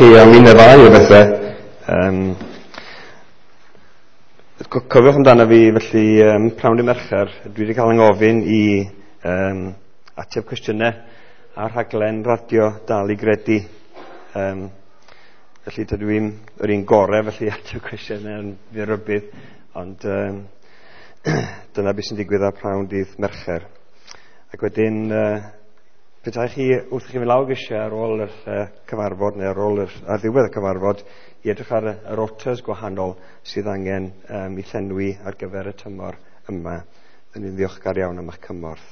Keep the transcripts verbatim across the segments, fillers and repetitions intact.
chi am un neu ddau o bethau. Um, cofiwch amdano fi, felly, um, pnawn dydd Mercher, dwi wedi cael 'y ngofyn i um, ateb cwestiynau ar rhaglen radio Dal i Gredu. Um, felly dydw i'n yr un gorau felly ateb cwestiynau yn fyr rybudd, ond um, dyna beth sy'n digwydd ar pnawn dydd Mercher. Ac wedyn, uh, petai chi wrth i chi fynd lawr grisiau ar ôl yr uh, cyfarfod neu ar ôl yr, ar ddiwedd y cyfarfod i edrych ar y, y rotas gwahanol sydd angen um, i llenwi ar gyfer y tymor yma. Dyn ni'n ddiolchgar iawn am eich cymorth.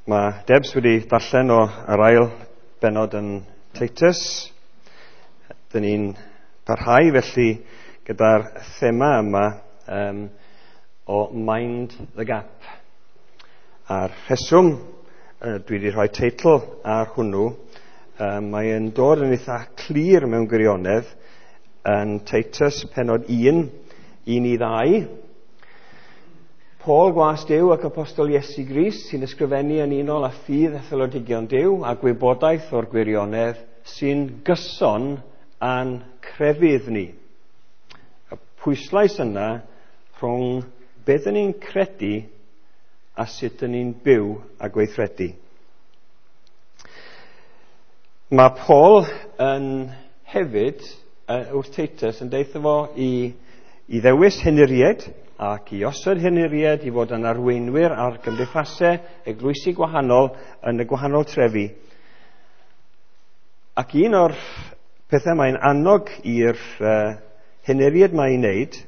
Mae Debs wedi darllen o yr ail bennod yn Titus. Dyn ni'n parhau felly gyda'r thema yma Um, o Mind the Gap. A'r rheswm uh, dwi wedi rhoi teitl ar hwnnw, um, mae'n dod yn eitha clir mewn gwirionedd yn Titus pennod un, un i ddau. Paul gwas Duw ac apostol Iesu Grist sy'n ysgrifennu yn unol â ffydd etholodigion Duw a gwybodaeth o'r gwirionedd sy'n gyson â'n crefydd ni. Y pwyslais yna rhwng beth ydyn ni'n credu a sut ydyn ni'n byw a gweithredu. Mae Paul yn hefyd wrth Titus yn deutha fo i, i ddewis henuriaid ac i osod henuriaid i fod yn arweinwyr ar gymdeithasau eglwysi gwahanol yn y gwahanol trefi. Ac un o'r pethau mae'n annog i'r uh, henuriaid mae'n wneud,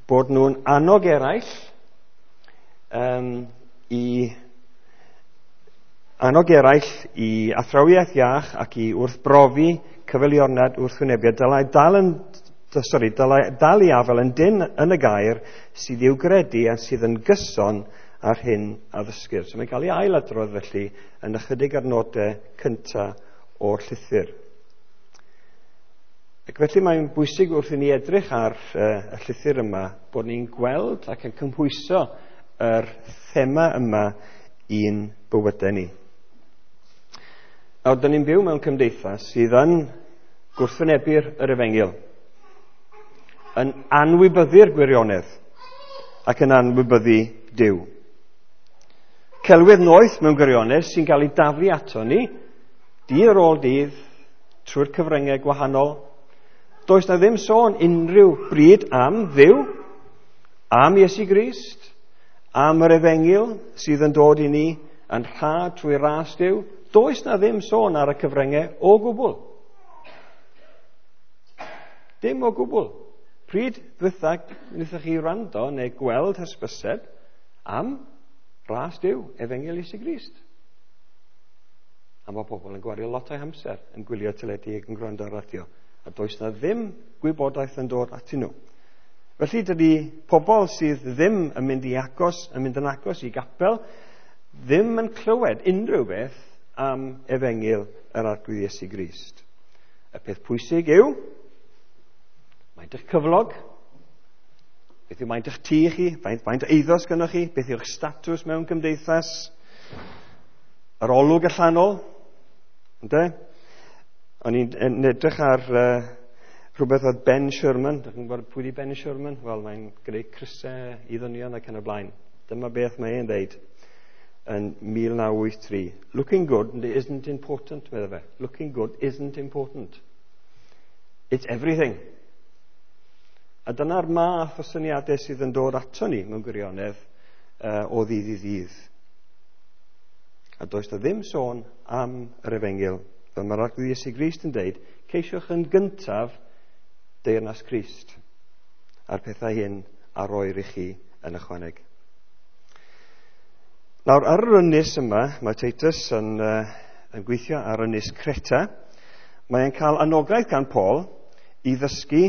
bod nhw'n annog eraill um, i annog eraill i athrawiaeth iach ac i wrthbrofi cyfeiliornad wrthwynebiad. Dylai dal yn, sorry, dylai dal i afael yn dyn yn y gair sydd i'w gredu a sydd yn gyson ar hyn a ddysgir. So mae'n cael ei ailadrodd felly yn ychydig adnodau cyntaf o'r llythyr. Ac felly mae'n bwysig wrth i ni edrych ar uh, y llythyr yma bod ni'n gweld ac yn cymhwyso yr thema yma i'n bywydau ni. Nawr, dyn ni'n byw mewn cymdeithas sydd yn gwrthwynebu'r yr efengyl, yn anwybyddu'r gwirionedd ac yn anwybyddu Duw. Celwydd noeth mewn gwirionedd sy'n cael ei daflu ato ni dydd ar ôl dydd trwy'r cyfryngau gwahanol. Does na ddim sôn unrhyw bryd am Dduw, am Iesu Grist, am yr efengyl sydd yn dod i ni yn rhad trwy ras Duw. Does na ddim sôn ar y cyfryngau o gwbl. Dim o gwbl. Pryd ddwytha wnaethoch chi wrando neu gweld hysbyseb am ras Duw, efengyl Iesu Grist? A mae pobl yn gwario lot o'u hamser yn gwylio teledu ac yn gwrando ar radio. A does na ddim gwybodaeth yn dod atyn nhw. Felly dydy pobl sydd ddim yn mynd i agos, yn mynd yn agos i gapel, ddim yn clywed unrhyw beth am efengyl yr Arglwydd Iesu Grist. Y peth pwysig yw, maint eich cyflog, beth yw maint eich tŷ chi, faint, faint o eiddo sgynnoch chi, beth yw'ch statws mewn cymdeithas, yr olwg allanol, ynde? O'n i'n edrych ar uh, rhywbeth oedd Ben Sherman. Dych chi'n gwybod pwy di Ben Sherman? Wel, mae'n gwneud crysau i ddynion ac yn y blaen. Dyma beth mae e'n dweud yn mil naw wyth tri. Looking good isn't important, medde fe. Looking good isn't important. It's everything. A dyna'r math o syniadau sydd yn dod ato ni mewn gwirionedd uh, o ddydd i ddydd. A does na ddim sôn am yr efengyl. Fel mae'r Arglwydd Iesu Grist yn dweud, ceisiwch yn gyntaf deyrnas Crist a'r pethau hyn a roir i chi yn ychwaneg. Nawr, ar yr ynys yma, mae Titus yn, uh, yn gweithio ar ynys Creta. Mae'n cael anogaeth gan Paul i ddysgu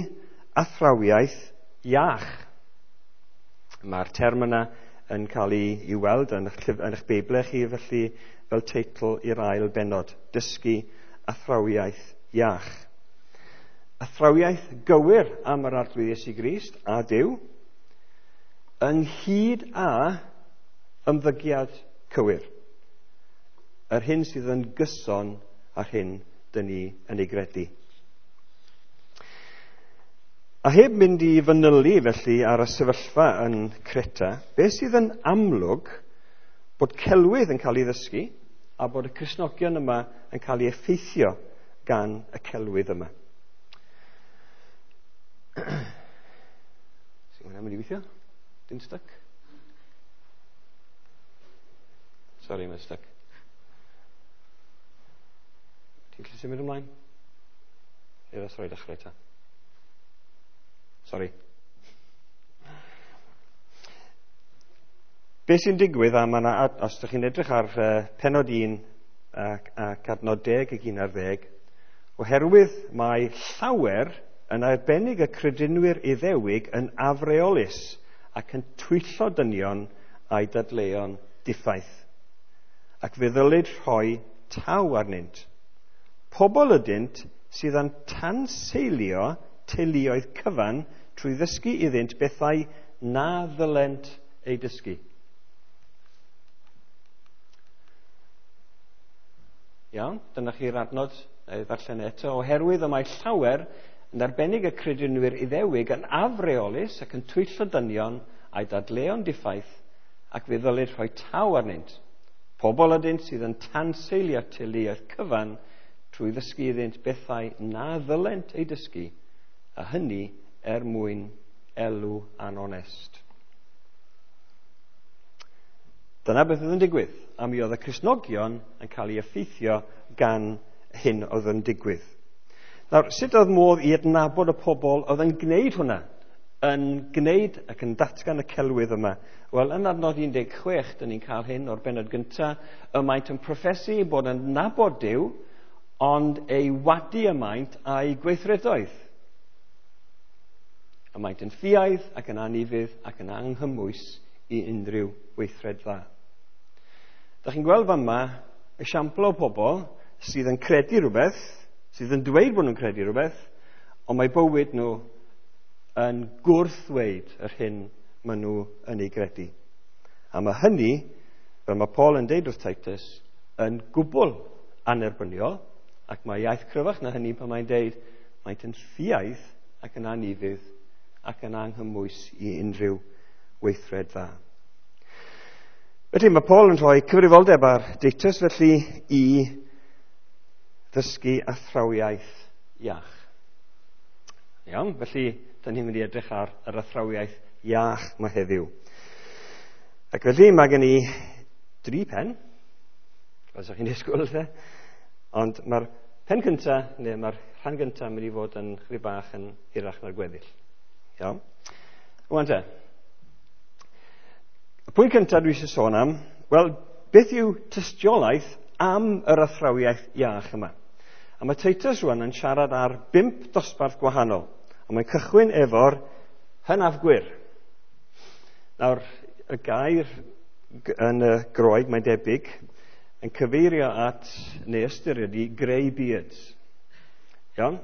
athrawiaeth iach. Mae'r term yna yn cael ei, ei weld yn eich, yn eich Beiblau chi, felly fel teitl i'r ail bennod, dysgu athrawiaeth iach. Athrawiaeth gywir am yr Arglwydd Iesu Grist a Duw, ynghyd â Ymddygiad cywir. Yr hyn sydd yn gyson â'r hyn dyn ni yn ei gredu. A heb mynd i fanylu felly ar y sefyllfa yn Creta, beth sydd yn amlwg bod celwydd yn cael ei ddysgu a bod y Cristnogion yma yn cael ei effeithio gan y celwydd yma. Sy'n hwnna'n mynd i weithio? Dim stuck? Sorry, mae'n stuck. Ti'n gallu symud ymlaen? Neu os rhoi dechrau ta. Sorry. Be sy'n digwydd, a ma' 'na, os ydych chi'n edrych ar uh, penod un ac, ac adnod deg ag un ar ddeg, oherwydd mae llawer yn arbennig y credinwyr Iddewig yn afreolus ac yn twyllo dynion a'i dadleuon diffaith, ac fe ddylid rhoi taw arnynt. Pobl ydynt sydd yn tanseilio teuluoedd cyfan trwy ddysgu iddynt bethau na ddylent eu dysgu. Iawn, dyna chi'r adnod, neu ddarllen eto. Oherwydd y mae llawer yn arbennig y credinwyr Iddewig yn afreolus ac yn twyllo dynion a'i dadleuon diffaith, ac fe ddylid rhoi taw arnynt. Pobl ydynt sydd yn tanseilio teuluoedd cyfan trwy ddysgu iddynt bethau na ddylent eu dysgu, a hynny er mwyn elw anonest. Dyna beth oedd yn digwydd, a mi oedd y Cristnogion yn cael ei effeithio gan hyn oedd yn digwydd. Nawr, sut oedd modd i adnabod y pobl oedd yn gwneud hwnna, yn gwneud ac yn datgan y celwydd yma? Wel, yn adnod un deg chwech, dyn ni'n cael hyn o'r bennod gyntaf, y maent yn proffesu bod yn nabod Duw, ond ei wadu y maent a'i gweithredoedd. Y maent yn ffiaidd ac yn anufudd ac yn anghymwys i unrhyw weithred dda. Da chi'n gweld fama esiampl o pobl sydd yn credu rhywbeth, sydd yn dweud bod nhw'n credu rhywbeth, ond mae bywyd nhw yn gwrthweud yr hyn maen nhw yn ei gredu. A mae hynny, fel mae Paul yn deud wrth Titus, yn gwbl anerbyniol, ac mae iaith cryfach na hynny pan mae'n deud maent yn ffiaidd ac yn anufudd ac yn anghymwys i unrhyw weithred dda. Felly mae Paul yn rhoi cyfrifoldeb ar Titus felly i ddysgu athrawiaeth iach. Iawn, felly dyn ni'n mynd i edrych ar yr athrawiaeth iach yma heddiw. Ac felly mae gen i dri pen, fel ydych chi'n disgwyl, lle. Ond mae'r pen cyntaf, neu mae'r rhan gyntaf yn mynd i fod yn chydig bach yn hirach na'r gweddill. Iawn. Rwan te. Y pwynt cyntaf dwi eisiau sôn am, wel, beth yw tystiolaeth am yr athrawiaeth iach yma? A mae Titus rwan yn siarad ar bump dosbarth gwahanol. A mae'n cychwyn efo'r hynafgwyr. Nawr, y gair yn y Groeg, mae'n debyg, yn cyfeirio at, neu ystyr ydy, grey beards. Iawn?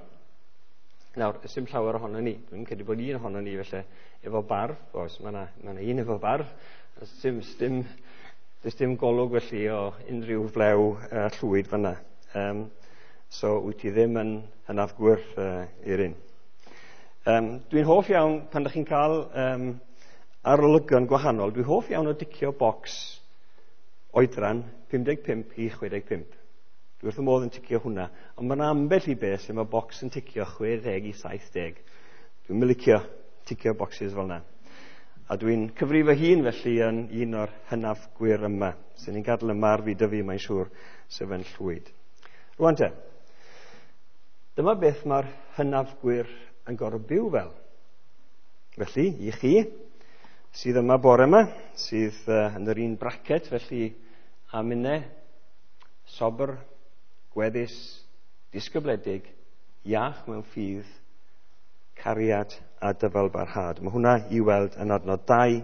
Nawr, ysym llawer ohono ni. Dwi'n credu bod un ohono ni, felly, efo barf. Oes, mae yna ma un efo barf. Dim, dim, does dim golwg felly o unrhyw flew uh, llwyd fyna. Um, so, wyt ti ddim yn hynafgwyr uh, i'r un. Um, dwi'n hoff iawn, pan ydych chi'n cael um, arolygon gwahanol, dwi'n hoff iawn o dicio bocs oedran pum deg pump i chwe deg pump. Dwi wrth y modd yn ticio hwnna, ond mae'n ambell i beth lle mae bocs yn ticio chwe deg i saith deg. Dwi'n mylicio ticio boxes fel yna. A dwi'n cyfrif fy hun felly yn un o'r hynafgwyr yma, sy'n ni'n gadael yma ar fi dyfu, mae'n siŵr, sef yn llwyd. Rwan te, dyma beth mae'r hynafgwyr yn gorfod byw fel. Felly, i chi, sydd yma bore yma, sydd uh, yn yr un bracet, felly a minne, sobr, gweddus, disgybledig, iach mewn ffydd, cariad a dyfalbarhad. Mae hwnna i weld yn adnod dau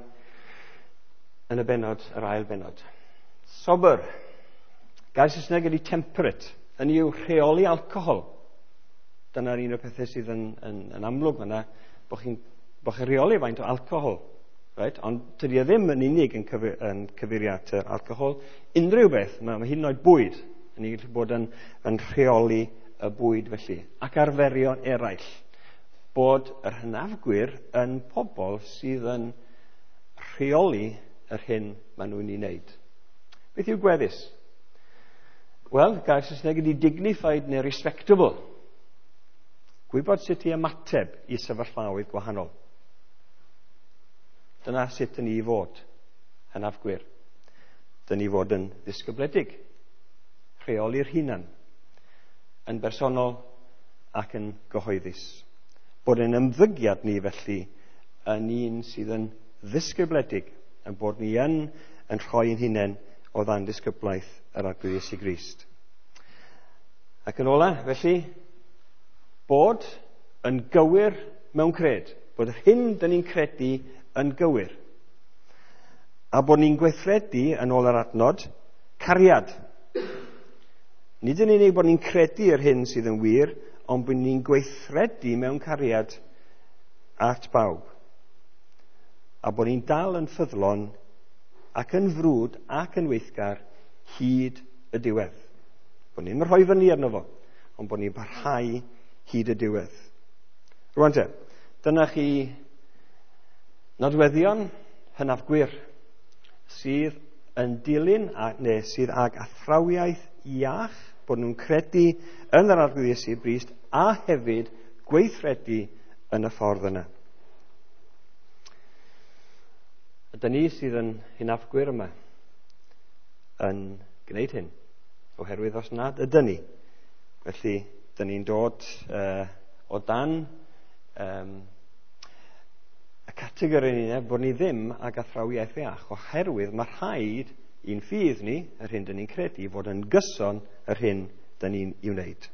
yn y bennod, yr ail bennod. Sobr. Gair Saesneg ydy temperate. Hynny yw rheoli alcohol. Dyna'r un o'r pethau sydd yn, yn, yn amlwg fyna, bod chi'n bo chi rheoli faint o alcohol Right? Ond tydi e ddim yn unig yn, cyfeir, yn cyfeirio at yr alcohol. Unrhyw beth, mae, mae hyd yn oed bwyd yn gallu bod yn, yn rheoli y bwyd felly. Ac arferion eraill. Bod yr hynafgwyr yn pobl sydd yn rheoli yr hyn maen nhw'n ei wneud. Beth yw gweddus? Wel, gair Saesneg ydy dignified neu respectable. Gwybod sut i ymateb i sefyllfaoedd gwahanol. Dyna sut dyn ni i fod, hynafgwyr. Dyn ni fod yn ddisgybledig, rheoli'r hunan, yn bersonol ac yn gyhoeddus. Bod yn ymddygiad ni felly yn un sydd yn ddisgybledig, yn bod ni yn, yn rhoi ein hunain o ddan disgyblaeth yr Arglwydd Iesu Grist. Ac yn ola, felly, bod yn gywir mewn cred. Bod yr hyn dyn ni'n credu yn gywir. A bod ni'n gweithredu, yn ôl yr adnod, cariad. Nid yn unig bod ni'n credu yr hyn sydd yn wir, ond bod ni'n gweithredu mewn cariad at bawb. A bod ni'n dal yn ffyddlon ac yn frwd ac yn weithgar hyd y diwedd. Bod ni'n rhoi fyny arno fo, ond bod ni'n parhau hyd y diwedd. Rwan te, dyna chi nodweddion hynafgwyr sydd yn dilyn, a, neu sydd ag athrawiaeth iach, bod nhw'n credu yn yr Arglwydd Iesu Grist a hefyd gweithredu yn y ffordd yna. Ydy ni sydd yn hynafgwyr yma yn gwneud hyn, oherwydd os nad ydyn ni, felly dyn ni'n dod uh, o dan um, y categori ni, bod ni ddim ag athrawiaeth iach, oherwydd mae rhaid i'n ffydd ni, yr hyn dyn ni'n credu, fod yn gyson yr hyn dyn ni'n ei wneud.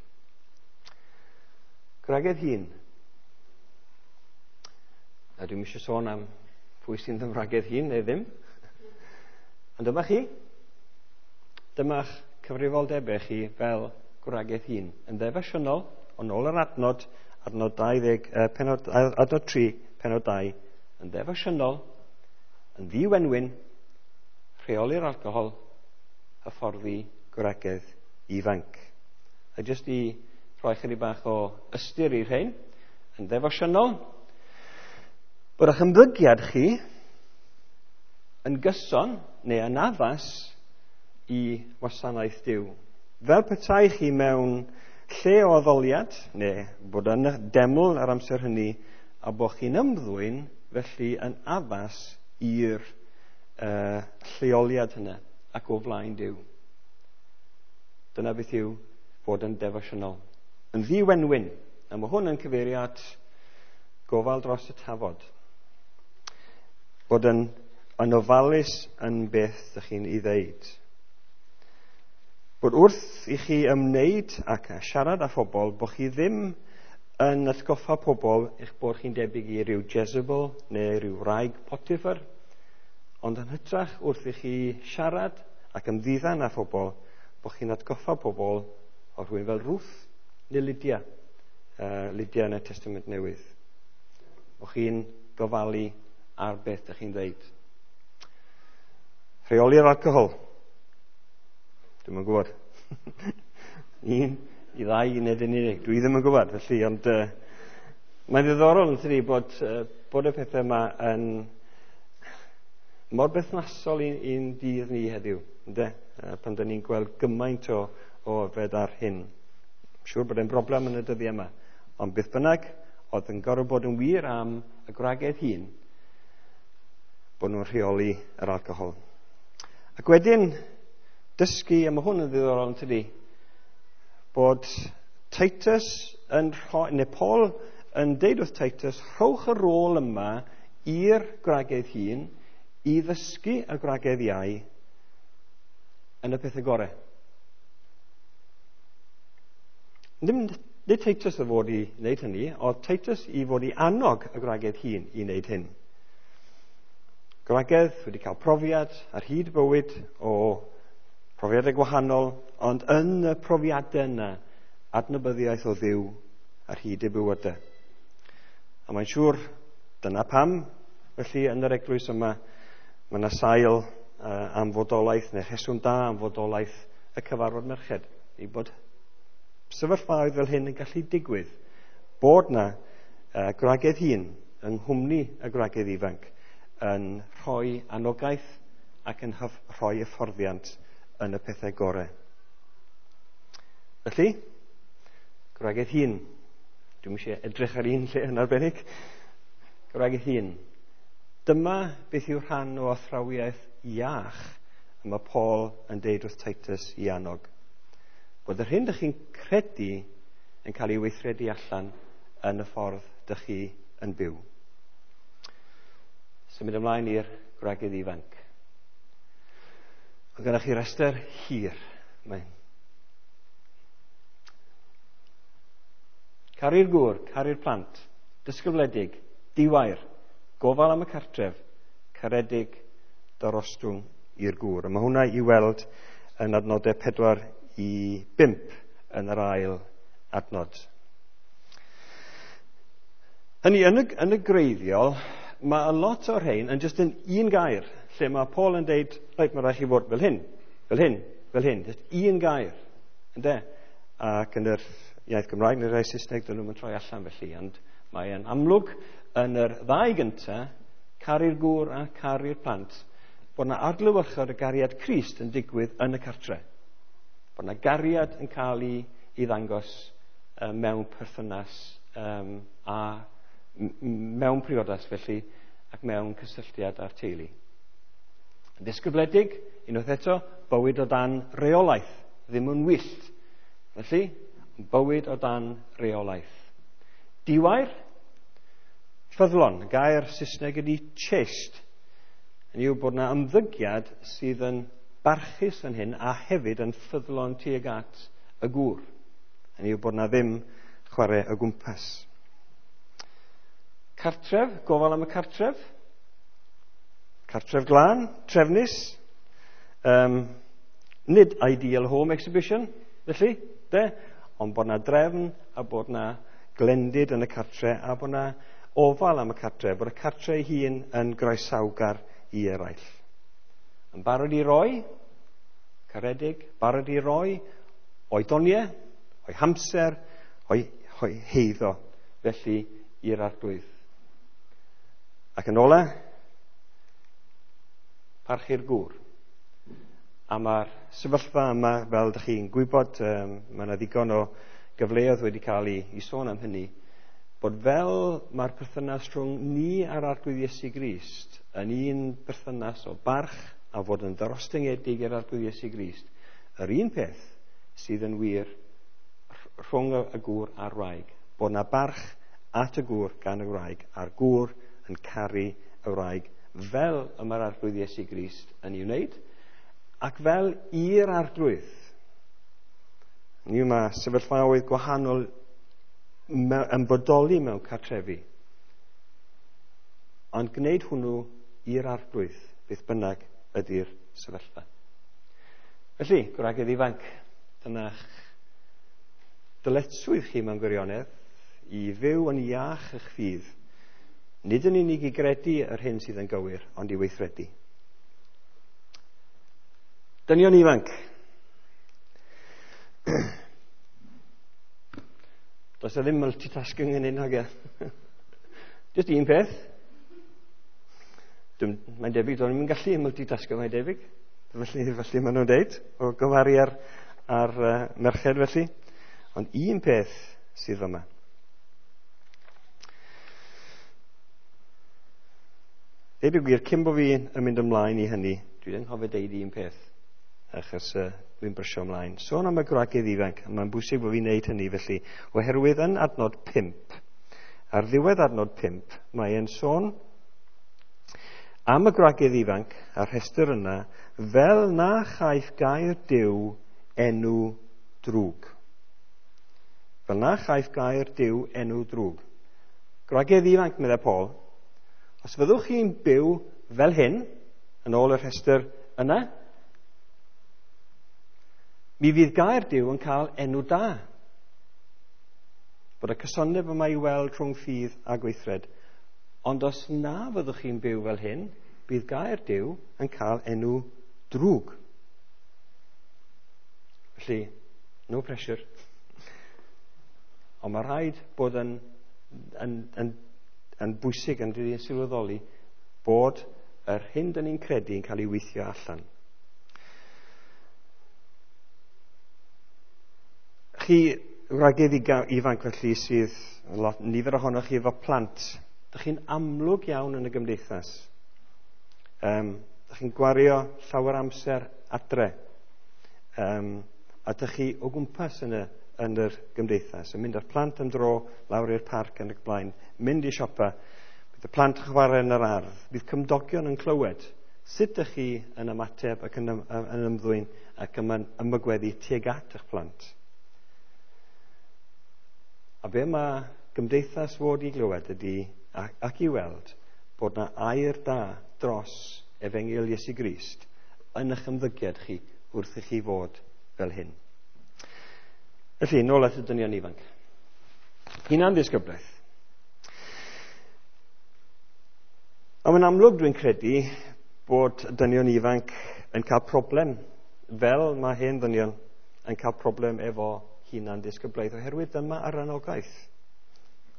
Gwragedd hŷn. A dwi'm eisiau sôn am pwy sy'n ddymragedd hŷn neu ddim. Ond dyma chi. Dyma'ch cyfrifoldebau chi fel gwragedd hŷn. Yn ddefosiynol, ond ôl yr adnod, adnod dau ddeg, eh, penod, adnod tri, penod dau, yn ddefosiynol, yn ddiwenwyn, rheoli'r alcohol, hyfforddi gwragedd ifanc. A jyst i rhoi chydig bach o ystyr i'r rhain, yn ddefosiynol, bod eich ymddygiad chi yn gyson neu yn addas i wasanaeth Duw. Fel petai chi mewn lle o addoliad, neu bod yn deml ar amser hynny, a bod chi'n ymddwyn felly yn addas i'r uh, lleoliad hynna ac o flaen Duw. Dyna beth yw bod yn defosiynol. Yn ddiwenwyn, a mae hwn yn cyfeirio at gofal dros y tafod. Bod yn, yn ofalus yn beth ydych chi'n ei ddeud. Bod wrth i chi ymwneud ac a siarad â phobl, bod chi ddim yn atgoffa pobl eich bod chi'n debyg i ryw Jezebel neu ryw wraig Potiphar, ond yn hytrach wrth i chi siarad ac ymddiddan â phobl, bod chi'n atgoffa pobl o rhywun fel Ruth neu Lydia, uh, Lydia yn y Testament Newydd. Bod chi'n gofalu ar beth ydych chi'n dweud. Rheoli'r alcohol. Dwi'm yn gwybod. Un, i ddau, neu yn unig. Dwi ddim yn gwybod, felly, ond uh, mae'n ddiddorol yn tydi bod, uh, bod y pethau yma yn mor berthnasol i'n dydd ni heddiw, ynde? Uh, pan dyn ni'n gweld gymaint o, o yfed ar hyn. Siŵr bod e'n broblem yn y dyddiau yma. Ond beth bynnag, oedd yn gorfod bod yn wir am y gwragedd hŷn, bod nhw'n rheoli yr alcohol. Ac wedyn, dysgu, a mae hwn yn ddiddorol yn tydi, bod Titus yn rhoi, neu Paul yn deud wrth Titus, rhowch y rôl yma i'r gwragedd hŷn i ddysgu y gwragedd iau yn y pethau gorau. Ddim, nid Titus y fod i wneud hynny, oedd Titus i fod i annog y gwragedd hŷn i wneud hyn. Gwragedd wedi cael profiad ar hyd bywyd o profiadau gwahanol, ond yn y profiadau yna, adnabyddiaeth o Dduw ar hyd eu bywydau. A mae'n siŵr dyna pam Felly yn yr eglwys yma, mae yna sail uh, am fodolaeth, neu rheswm da am fodolaeth y cyfarfod merched. I bod sefyllfaoedd fel hyn yn gallu digwydd. Bod na uh, gwragedd hŷn yng nghwmni y gwragedd ifanc yn rhoi anogaeth ac yn rhoi hyfforddiant yn y pethau gorau. Felly, gwragedd hŷn. Dwi'm eisiau edrych ar un lle yn arbennig. Gwragedd hŷn. Dyma beth yw rhan o athrawiaeth iach y mae Paul yn deud wrth Titus i annog. Bod yr hyn dych chi'n credu yn cael ei weithredu allan yn y ffordd dych chi yn byw. Symud ymlaen i'r gwragedd ifanc. Mae gennych chi restr hir. Mae'n caru'r gŵr, caru'r plant, disgybledig, diwair, gofal am y cartref, caredig, darostwng i'r gŵr. A mae hwnna i weld yn adnodau pedwar i bump yn yr ail adnod. Hynny, yn y, yn y greiddiol, mae a lot o'r rhain yn just yn un gair, lle mae Paul yn deud, reit, mae rhaid chi fod fel hyn, fel hyn, fel hyn, just un gair, ynde? Ac yn yr iaith Gymraeg neu'r iaith Saesneg, dyn nhw'n troi allan felly, ond mae'n amlwg yn yr ddau gyntaf, caru'r gŵr a caru'r plant, bod yna adlewyrchiad y gariad Crist yn digwydd yn y cartre. Bod yna gariad yn cael ei, ei ddangos um, mewn perthynas um, a mewn priodas felly, ac mewn cysylltiad â'r teulu. Yn ddisgybledig, unwaith eto, bywyd o dan reolaeth, ddim yn wyllt. Felly, bywyd o dan reolaeth. Diwair, ffyddlon, y gair Saesneg ydy chaste. Hynny yw bod yna ymddygiad sydd yn barchus yn hyn a hefyd yn ffyddlon tuag at y gŵr. Hynny yw bod yna ddim chwarae o gwmpas. Cartref, gofal am y cartref. Cartref glân, trefnus. Um, nid ideal home exhibition, felly, de, ond bod yna drefn a bod yna glendid yn y cartre a bod yna ofal am y cartre, bod y cartre ei hun yn groesawgar i eraill. Yn barod i roi, caredig, barod i roi, o'i doniau, o'i hamser, o'i, o'i heiddo, felly i'r Arglwydd. Ac yn ola, parchu'r gŵr. A mae'r sefyllfa yma, fel ydych chi'n gwybod, um, mae yna ddigon o gyfleoedd wedi cael ei, ei sôn am hynny, bod fel mae'r perthynas rhwng ni a'r Arglwydd Iesu Grist yn un perthynas o barch a fod yn ddarostyngedig i'r Arglwydd Iesu Grist, yr un peth sydd yn wir rhwng y gŵr a'r wraig, bod yna barch at y gŵr gan y wraig, a'r gŵr yn caru y wraig fel y mae'r Arglwydd Iesu Grist yn ei wneud, ac fel i'r Arglwydd. Ni yma sefyllfaoedd gwahanol yn bodoli mewn cartrefi, ond gwneud hwnnw i'r Arglwydd, beth bynnag ydy'r sefyllfa. Felly, gwragedd ifanc, dyna'ch dyletswydd chi mewn gwirionedd i fyw yn iach eich ffydd, nid yn unig i gredu yr hyn sydd yn gywir, ond i weithredu. Dynion ifanc. Does e ddim multitasking yn hyn, hogia. Just un peth. Mae'n debyg, do'n i'n gallu multitasking, mae'n debyg. Felly, felly maen nhw'n deud, o gyfaru ar, ar uh, merched felly. Ond un peth sydd yma. Deud y gwir, cyn bo fi yn mynd ymlaen i hynny, dwi ddim anghofio deud un peth, achos uh, dwi'n brysio ymlaen. Sôn am y gwragedd ifanc, a mae'n bwysig bod fi'n neud hynny felly, oherwydd yn adnod pump, ar ddiwedd adnod pump, mae e'n sôn am y gwragedd ifanc a'r rhestr yna, fel na chaiff gair Duw enw drwg. Fel na chaiff gair Duw enw drwg. Gwragedd ifanc, meddai Paul, os fyddwch chi'n byw fel hyn, yn ôl y rhestr yna, mi fydd gair Duw yn cael enw da. Bod y cysondeb yma i weld rhwng ffydd a gweithred. Ond os na fyddwch chi'n byw fel hyn, bydd gair Duw yn cael enw drwg. Felly, no pressure. Ond mae rhaid bod yn, yn, yn, yn bwysig yn dyn ni'n sylweddoli bod yr hyn dyn ni'n credu yn cael ei weithio allan. Chi wragedd ifanc felly sydd, lot, nifer ohonoch chi efo plant, dych chi'n amlwg iawn yn y gymdeithas. Um, dych chi'n gwario llawer amser adre. Um, a dych chi o gwmpas yn y, yn yr gymdeithas, yn mynd â'r plant am dro lawr i'r parc yn y blaen, mynd i siopa, bydd y plant yn chwarae yn yr ardd, bydd cymdogion yn clywed sut ydych chi yn ymateb ac yn, yn ymddwyn ac yn ymagweddu tuag at eich plant. A be mae gymdeithas fod i glywed ydy ac, ac i weld bod na air da dros Efengyl Iesu Grist yn eich ymddygiad chi wrth i chi fod fel hyn. Felly, nôl at y dynion ifanc. Hunan ddisgyblaeth. A mae'n amlwg dwi'n credu bod dynion ifanc yn cael problem, fel mae hen ddynion yn cael problem efo hunan ddisgyblaeth, oherwydd dyma yr anogaeth.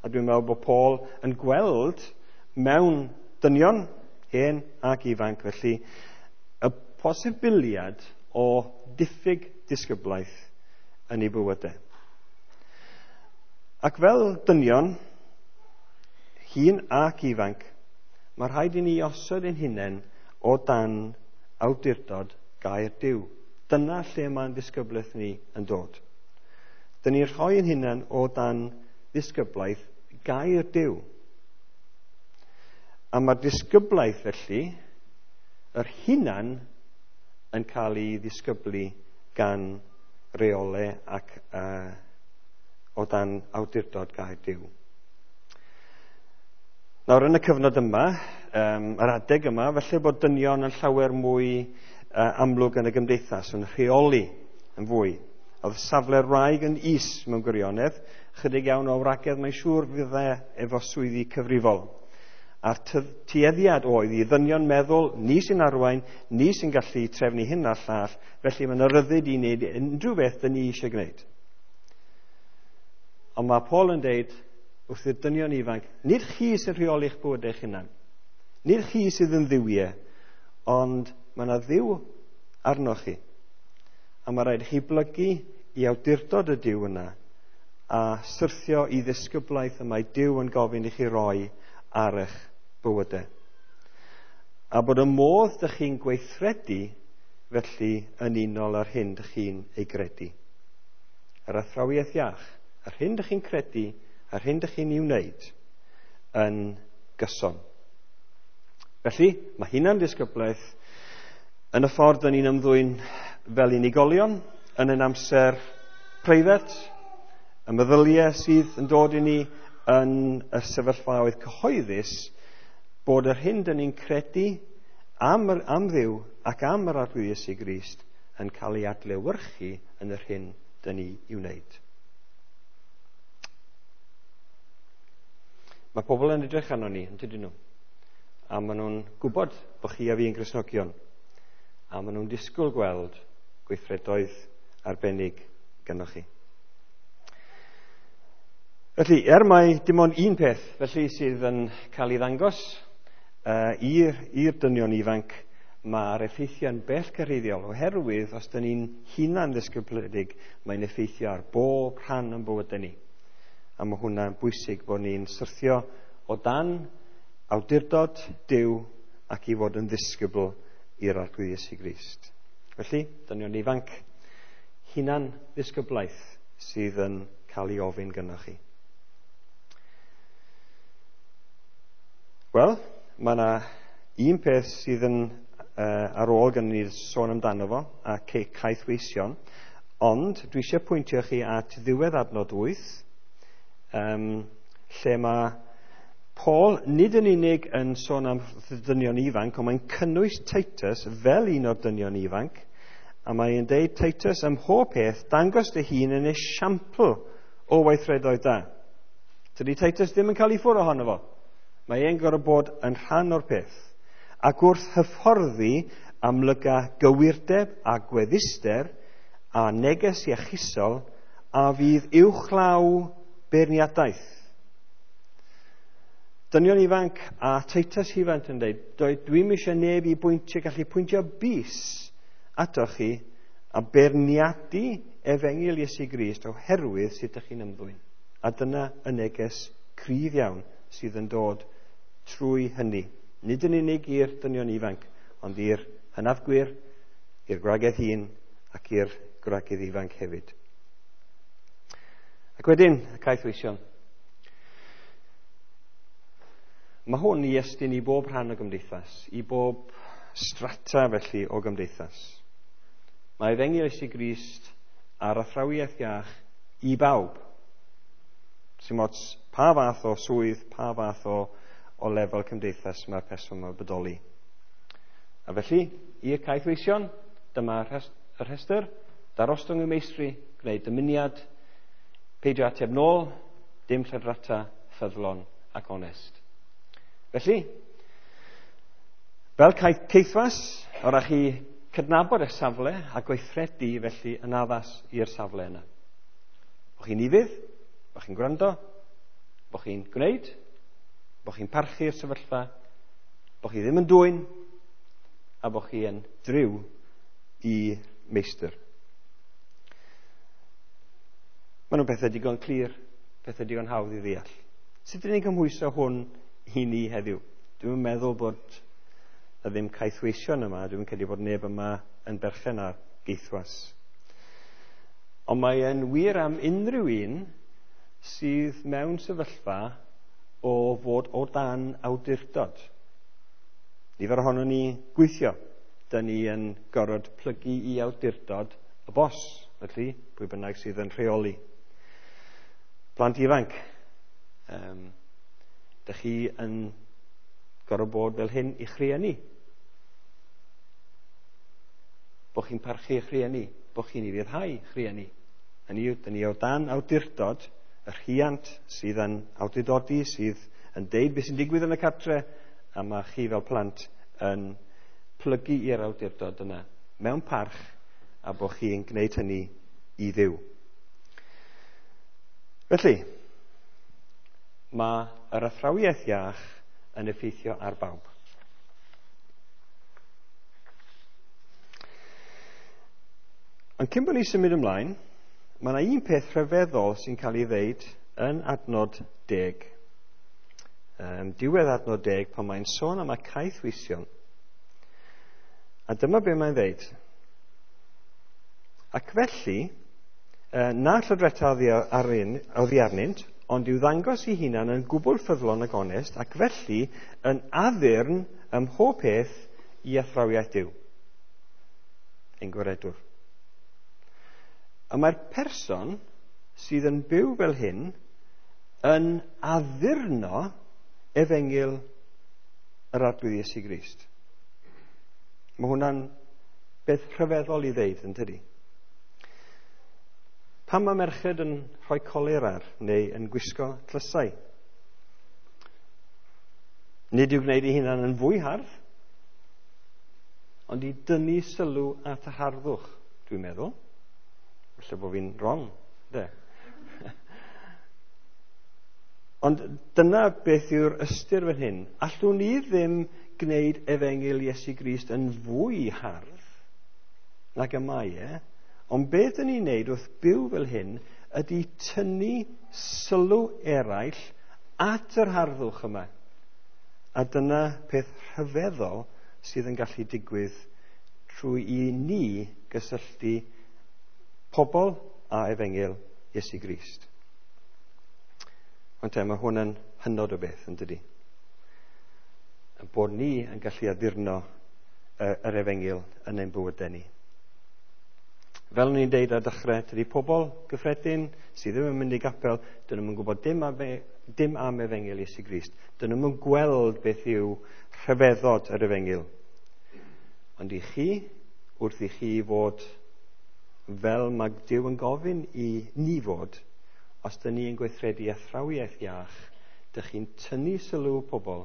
A dwi'n meddwl bod Paul yn gweld mewn dynion, hen ac ifanc, felly, y posibiliad o diffyg disgyblaeth yn ei bywydau. Ac fel dynion, hŷn ac ifanc, mae rhaid i ni osod ein hunain o dan awdurdod gair Duw. Dyna lle mae'n ddisgyblaeth ni yn dod. Dyn ni'n rhoi ein hunain o dan ddisgyblaeth gair Duw. A mae'r disgyblaeth felly, yr hunan yn cael ei ddisgyblu gan reolau ac uh, o dan awdurdod gair Duw. Nawr yn y cyfnod yma, um, yr adeg yma, felly bod dynion yn llawer mwy uh, amlwg yn y gymdeithas, yn rheoli yn fwy. Oedd safle'r wraig yn is mewn gwirionedd, chydig iawn o wragedd mae'n siŵr fydde efo swyddi cyfrifol. A'r tueddiad oedd i ddynion meddwl, ni sy'n arwain, ni sy'n gallu trefnu hyn a'r llall, felly mae'n ryddid i wneud unrhyw beth dyn ni eisiau gwneud. Ond mae Paul yn deud wrth i'r dynion ifanc, nid chi sy'n rheoli'ch bywyd eich hunan, nid chi sydd yn dduwiau, ond mae yna dduw arnoch chi. A mae rhaid i chi blygu i awdurdod y Duw yna a syrthio i ddisgyblaeth y mae Duw yn gofyn i chi roi ar eich bywydau. A bod y modd dych chi'n gweithredu felly yn unol â'r hyn dych chi'n ei gredu. Yr athrawiaeth iach, yr hyn dych chi'n credu, yr hyn dych chi'n ei wneud yn gyson. Felly, mae hunan ddisgyblaeth yn y ffordd dyn ni'n ymddwyn fel unigolion, yn ein amser preifat, y meddyliau sydd yn dod i ni yn y sefyllfaoedd cyhoeddus, bod yr hyn dyn ni'n credu am, yr, am Dduw ac am yr Arglwydd Iesu Grist yn cael ei adlewyrchu yn yr hyn dyn ni i'w wneud. Mae pobl yn edrych arno ni, yn tydyn nhw? A maen nhw'n gwybod bod chi a fi yn Gristnogion. A maen nhw'n disgwyl gweld gweithredoedd arbennig gynnoch chi. Felly, er mai dim ond un peth felly sydd yn cael ei ddangos uh, i'r, i'r dynion ifanc, mae'r effeithiau'n bellgyrhaeddiol, oherwydd os dyn ni'n hunan ddisgybledig, mae'n effeithio ar bob rhan o'n bywydau ni. A mae hwnna'n bwysig bod ni'n syrthio o dan awdurdod Duw ac i fod yn ddisgybl i'r Arglwydd Iesu Grist. Felly, dynion ifanc, hunan ddisgyblaeth sydd yn cael ei ofyn gynnoch chi. Wel, mae yna un peth sydd yn uh, ar ôl gan ni sôn amdano fo, a caethweision, ond dwi eisiau pwyntio chi at ddiwedd adnod wyth, um, lle mae Paul nid yn unig yn sôn am dynion ifanc, ond mae'n cynnwys Titus fel un o'r dynion ifanc, a mae'n deud, Titus, ym mhob peth, dangos dy hun yn esiampl o weithredoedd da. Tydi Titus ddim yn cael ei ffwrdd ohono fo. Mae e'n gorfod bod yn rhan o'r peth. Ac wrth hyfforddi amlyga gywirdeb a gwedduster a neges iachusol a fydd uwchlaw beirniadaeth. Dynion ifanc a Titus ifanc yn dweud, dwi'm eisiau neb i bwyntio, gallu pwyntio bys atoch chi a beirniadu efengyl Iesu Grist oherwydd sut ydych chi'n ymddwyn. A dyna y neges cryf iawn sydd yn dod trwy hynny. Nid yn unig i'r dynion ifanc, ond i'r hynafgwyr, i'r gwragedd hŷn ac i'r gwragedd ifanc hefyd. Ac wedyn, y caethweision. Mae hwn i estyn i bob rhan o gymdeithas, i bob strata felly o gymdeithas. Mae efengyl Iesu Grist a'r athrawiaeth iach i bawb. Sim ots pa fath o swydd, pa fath o, o lefel cymdeithas mae'r person yma'n bodoli. A felly, i'r caethweision, dyma y rhestr, darostwng y meistri, gwneud dymuniad, peidio ateb nôl, dim lladrata, ffyddlon ac onest. Felly, fel caethwas, o ran chi cydnabod eich safle a gweithredu felly yn addas i'r safle yna. Bo chi'n ufudd, bo chi'n gwrando, bo chi'n gwneud, bo chi'n parchu'r sefyllfa, bo chi ddim yn dwyn, a bo chi yn driw i meistr. Maen nhw'n pethau digon clir, pethau digon hawdd i ddeall. Sut ydyn ni'n cymhwyso hwn i ni heddiw? Dwi'n meddwl bod na ddim caethweision yma, dwi'n credu bod neb yma yn berchen ar geithwas. Ond mae e'n wir am unrhyw un sydd mewn sefyllfa o fod o dan awdurdod. Nifer ohonon ni gweithio. Dyn ni yn gorfod plygu i awdurdod y bos, felly pwy bynnag sydd yn rheoli. Plant ifanc, um, dych chi yn gorfod bod fel hyn i'ch rhieni. Bo chi'n parchu eich rhieni, bo chi'n ufuddhau eich rhieni. Hynny yw, dyn ni o dan awdurdod y rhiant sydd yn awdurdodi, sydd yn deud beth sy'n digwydd yn y cartre, a mae chi fel plant yn plygu i'r awdurdod yna mewn parch, a bo chi'n gwneud hynny i Dduw. Felly, mae yr athrawiaeth iach yn effeithio ar bawb. Ond cyn bod ni symud ymlaen, mae yna un peth rhyfeddol sy'n cael ei ddeud yn adnod deg. Um, diwedd adnod deg, pan mae'n sôn am y caethweision. A dyma be mae'n ddeud. Ac felly, na llydreta oddi arnynt, ond i'w ddangos ei hunan yn gwbl ffyddlon ac onest, ac felly yn addurn ym mhob peth i athrawiaeth Duw, ein gwaredwr. A mae'r person sydd yn byw fel hyn yn addurno efengyl yr Arglwydd Iesu Grist. Mae hwnna'n beth rhyfeddol i ddeud, yn tydi? Pam mae merched yn rhoi colur ar neu yn gwisgo tlysau? Nid i'w gwneud ei hunan yn fwy hardd, ond i dynnu sylw at y harddwch, dwi'n meddwl. Falle bod fi'n wrong, de. Ond dyna beth yw'r ystyr fan hyn. Allwn ni ddim gwneud efengyl Iesu Grist yn fwy hardd nag y mae e, ond beth dyn ni'n neud wrth byw fel hyn ydy tynnu sylw eraill at yr harddwch yma. A dyna peth rhyfeddol sydd yn gallu digwydd trwy i ni gysylltu pobl a efengyl Iesu Grist. Ond te, mae hwn yn hynod o beth, yn dydi? Bod ni yn gallu addurno yr efengyl yn ein bywydau ni. Fel o'n i'n deud ar dechrau, tydi pobl gyffredin sydd ddim yn mynd i gapel, dyn nhw'n gwybod dim am, dim am efengyl Iesu Grist. Dyn nhw'n gweld beth yw rhyfeddod yr efengyl. Ond i chi, wrth i chi fod fel mae Duw yn gofyn i ni fod, os dyn ni yn gweithredu athrawiaeth iach, Dych chi'n tynnu sylw pobl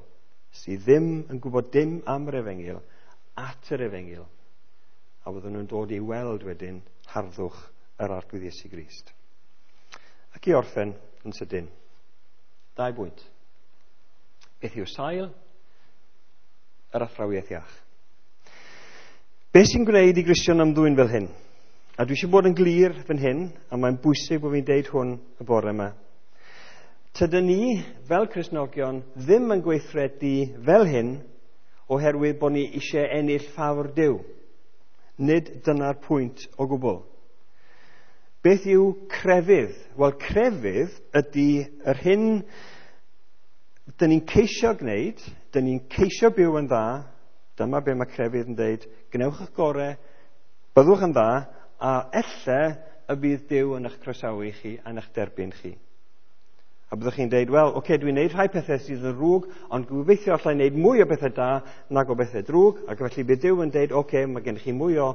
sydd ddim yn gwybod dim am yr efengyl at yr efengyl, a fydden nhw'n dod i weld wedyn harddwch yr Arglwydd Iesu Grist. Ac i orffen yn sydyn, dau bwynt. Beth yw sail yr athrawiaeth iach? Beth sy'n gwneud i Gristion ymddwyn fel hyn? A dwi eisiau bod yn glir fan hyn, a mae'n bwysig bod fi'n deud hwn y bore yma. Tydyn ni, fel Cristnogion, ddim yn gweithredu fel hyn oherwydd bod ni eisiau ennill ffafr Duw. Nid dyna'r pwynt o gwbl. Beth yw crefydd? Wel, crefydd ydy yr hyn dyn ni'n ceisio gwneud, dyn ni'n ceisio byw yn dda. Dyma be mae crefydd yn dweud: gwnewch eich gorau, byddwch yn dda, a elle y bydd Duw yn eich croesawu chi a'n eich derbyn chi. A byddwch chi'n dweud, wel, oce, okay, dwi'n gwneud rhai pethau sydd yn ddrwg, ond gobeithio allai wneud mwy o bethau da nag o bethau drwg, ac felly bydd Duw yn dweud, oce, okay, mae gennych chi mwy o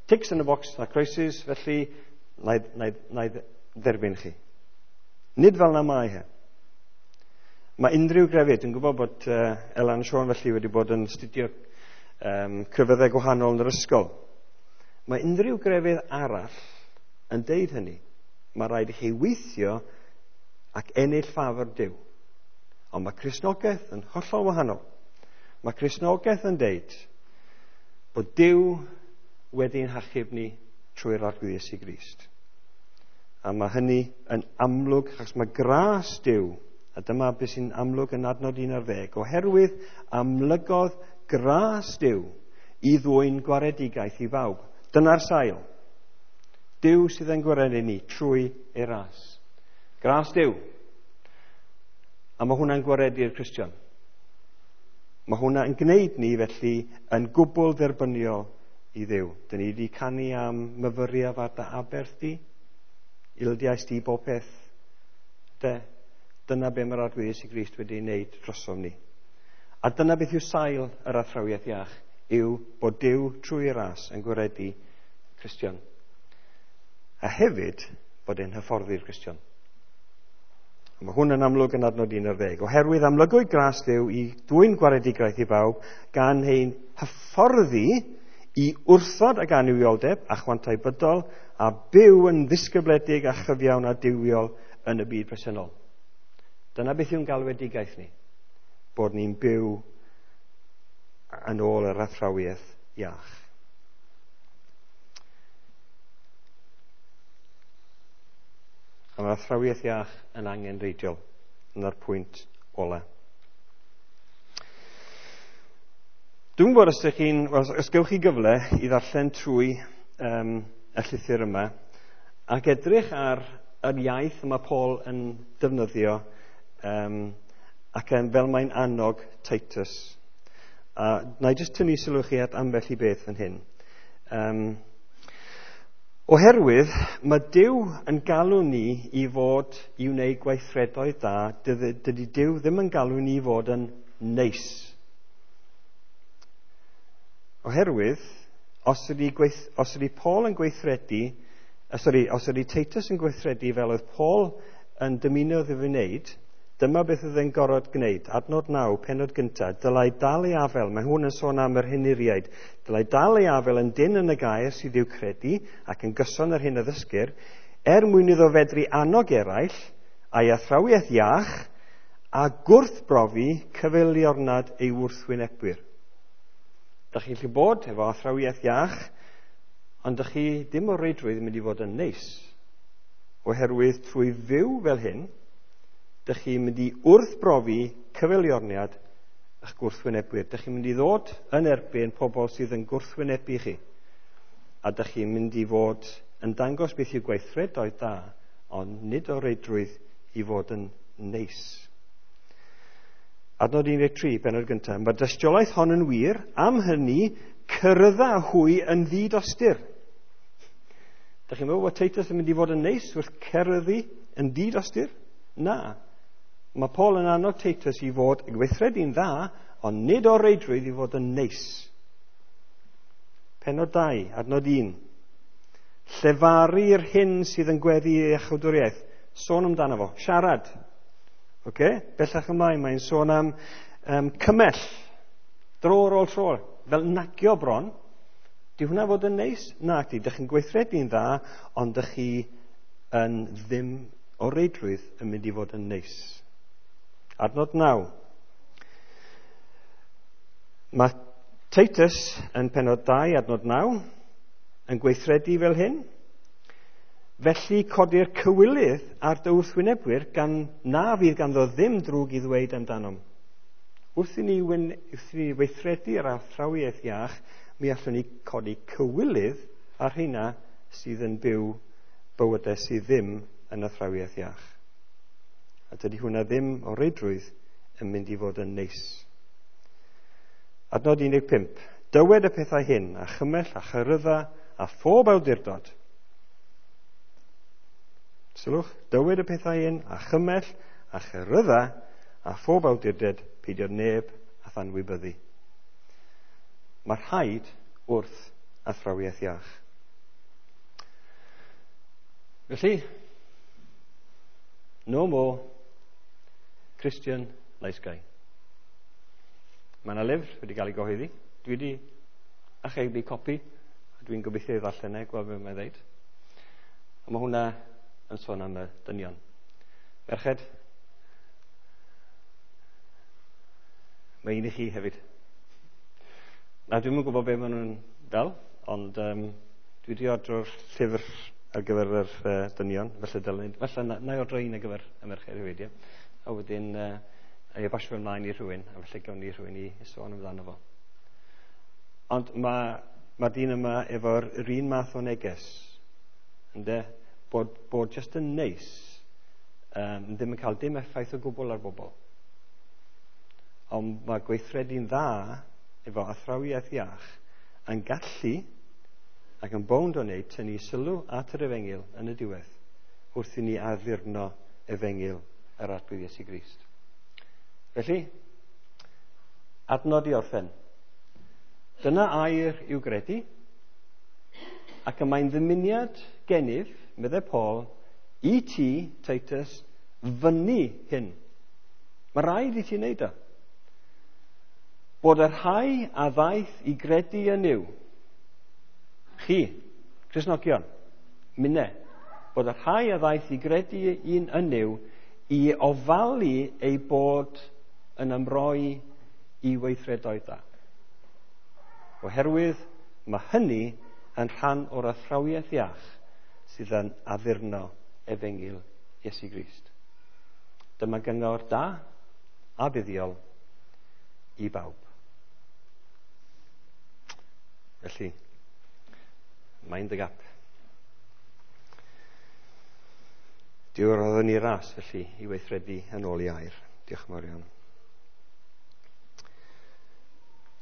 ticks in the box na croesus, felly na i, na i, na i dderbyn chi. Nid fel na mae he. Mae unrhyw grefydd, dwi'n gwybod bod uh, Elan Siôn felly wedi bod yn astudio um, crefyddau gwahanol yn yr ysgol. Mae unrhyw grefydd arall yn deud hynny. Mae rhaid i chi weithio ac ennill ffafr Duw. Ond mae Cristnogaeth yn hollol wahanol. Mae Cristnogaeth yn deud bod Duw wedi'n hachub ni trwy'r Arglwydd Iesu Grist. A mae hynny yn amlwg, achos mae gras Duw, a dyma beth sy'n amlwg yn adnod un ar ddeg, oherwydd amlygodd gras Duw i ddwyn gwaredigaeth i bawb. Dyna'r sail. Duw sydd yn gwaredu ni trwy ei ras. Gras Duw. A mae hwnna'n gwaredu'r Cristion. Mae hwnna yn gwneud ni felly yn gwbl dderbyniol i Dduw. Dyn ni wedi canu am myfyriaf ar dy aberth di, ildiais di bob peth. De, dyna be mae'r Arglwydd Iesu Grist wedi wneud drosom ni. A dyna beth yw sail yr athrawiaeth iach, yw bod Duw trwy ras yn gwaredu Cristion. A hefyd bod e'n hyfforddi'r Cristion. A mae hwn yn amlwg yn adnod un ar ddeg. Oherwydd amlygwyd gras Duw i dwyn gwaredigaeth i bawb gan ein hyfforddi i wrthod ag annuwioldeb a chwantau bydol a byw yn ddisgybledig a chyfiawn a duwiol yn y byd presennol. Dyna beth yw'n galwedigaeth ni, bod ni'n byw yn ôl yr athrawiaeth iach. A mae'r athrawiaeth iach yn angenrheidiol. Dyna'r pwynt ola. Dwi'n gwybod os ydych chi'n, well, os gewch chi gyfle i ddarllen trwy um, y llythyr yma ac edrych ar yr iaith y mae Paul yn defnyddio um, ac yn, fel mae'n annog Titus. A na i jyst tynnu sylw chi at ambell i beth fan hyn. Um, oherwydd mae Duw yn galw ni i fod i wneud gweithredoedd da, dydy Duw ddim yn galw ni i fod yn neis. Oherwydd, os ydy, gweith, os ydy Paul yn gweithredu, uh, sorry, os ydy Titus yn gweithredu fel oedd Paul yn dymuno iddo fe wneud, dyma beth oedd e'n gorfod gwneud. Adnod naw, pennod gyntaf, dylai dal ei afel, mae hwn yn sôn am yr henuriaid, dylai dal ei afel yn dyn yn y gair sydd i'w credu ac yn gyson yr hyn a ddysgir, er mwyn iddo fedru annog eraill a'i athrawiaeth iach a gwrthbrofi cyfeiliornad ei wrthwynebwyr. Dach chi'n gallu bod efo athrawiaeth iach, ond dach chi dim o reidrwydd yn mynd i fod yn neis. Oherwydd trwy fyw fel hyn, dych chi'n mynd i wrthbrofi cyfeiliorniad eich gwrthwynebwyr. Dych chi'n mynd i ddod yn erbyn pobl sydd yn gwrthwynebu chi. A dych chi'n mynd i fod yn dangos beth yw gweithredoedd da, ond nid o reidrwydd i fod yn neis. Adnod un deg tri, bennod gyntaf. Mae'r dystiolaeth hon yn wir, am hynny cyrraedda hwy yn ddidostur. Dych chi'n meddwl bod Titus yn mynd i fod yn neis wrth ceryddu yn ddidostur? Na. Mae Paul yn annog Titus i fod yn gweithredu'n dda, ond nid o reidrwydd i fod yn neis. Pennod dau, adnod un. Llefaru'r hyn sydd yn gweddu i iachawdwriaeth. Sôn amdano fo. Siarad. Okay? Bellach ymlaen, mae'n sôn am um, cymell, dro ar ôl tro, fel nagio bron. Di hwnna fod yn neis? Na, di. Dych chi'n gweithredu'n dda, ond dych chi yn ddim o reidrwydd yn mynd i fod yn neis. Adnod naw. Mae Titus yn penod dau, adnod naw, yn gweithredu fel hyn. Felly codi'r cywilydd ar dy wrthwynebwyr gan na fydd ganddo ddim drwg i ddweud amdanom. Wrth i ni, wrth i ni weithredu yr athrawiaeth iach, mi allwn ni codi cywilydd ar rheina sydd yn byw bywydau sydd ddim yn athrawiaeth iach. A dydy hwnna ddim o reidrwydd yn mynd i fod yn neis. Adnod un deg pump. Dywed y pethau hyn, a chymell a chyrydda a phob awdurdod. Sylwch, dywed y pethau hyn, a chymell a chyrydda a phob awdurdod, peidio neb a thanwybyddu. Mae rhaid wrth athrawiaeth iach. Felly, no more Christian nice guy. Mae yna lyfr wedi cael ei gyhoeddi. Dwi wedi archebu copi, a dwi'n gobeithio i ddarllen e, gweld beth mae'n dweud. A mae hwnna yn sôn am y dynion. Merched, mae un i chi hefyd. Na, dwi'm yn gwybod beth maen nhw'n fel, ond um, dwi wedi ordro'r llyfr ar gyfer yr uh, dynion, felly dylen, felly na, na i ordro un ar gyfer y merched hefyd, ie. A wedyn, uh, a i basio ymlaen i rhywun, a felly gawn ni rhywun i sôn amdano fo. Ond mae ma dyn yma efo'r yr un math o neges, ynde? Bod, bod just yn neis, um, ddim yn cael dim effaith o gwbl ar bobl. Ond mae gweithredu'n dda efo athrawiaeth iach yn gallu ac yn bownd o wneud tynnu sylw at yr efengyl yn y diwedd wrth i ni addurno efengyl yr Arglwydd Iesu Grist. Felly, adnod i orffen. Dyna air i'w gredu, ac y mae'n ddymuniad gennyf, meddai Paul, i ti, Titus, fyny hyn. Mae rhaid i ti wneud o. Bod y rhai a ddaeth i gredu yn Nuw, chi, Cristnogion, minne, bod y rhai a ddaeth i gredu un yn Nuw i ofalu ei bod yn ymroi i weithredoedd da. Oherwydd mae hynny yn rhan o'r athrawiaeth iach sydd yn addurno efengyl Iesu Grist. Dyma gyngor da a buddiol i bawb. Felly, mind the gap. Duw roddodd ni ras, felly, i weithredu yn ôl i air. Diolch yn fawr iawn.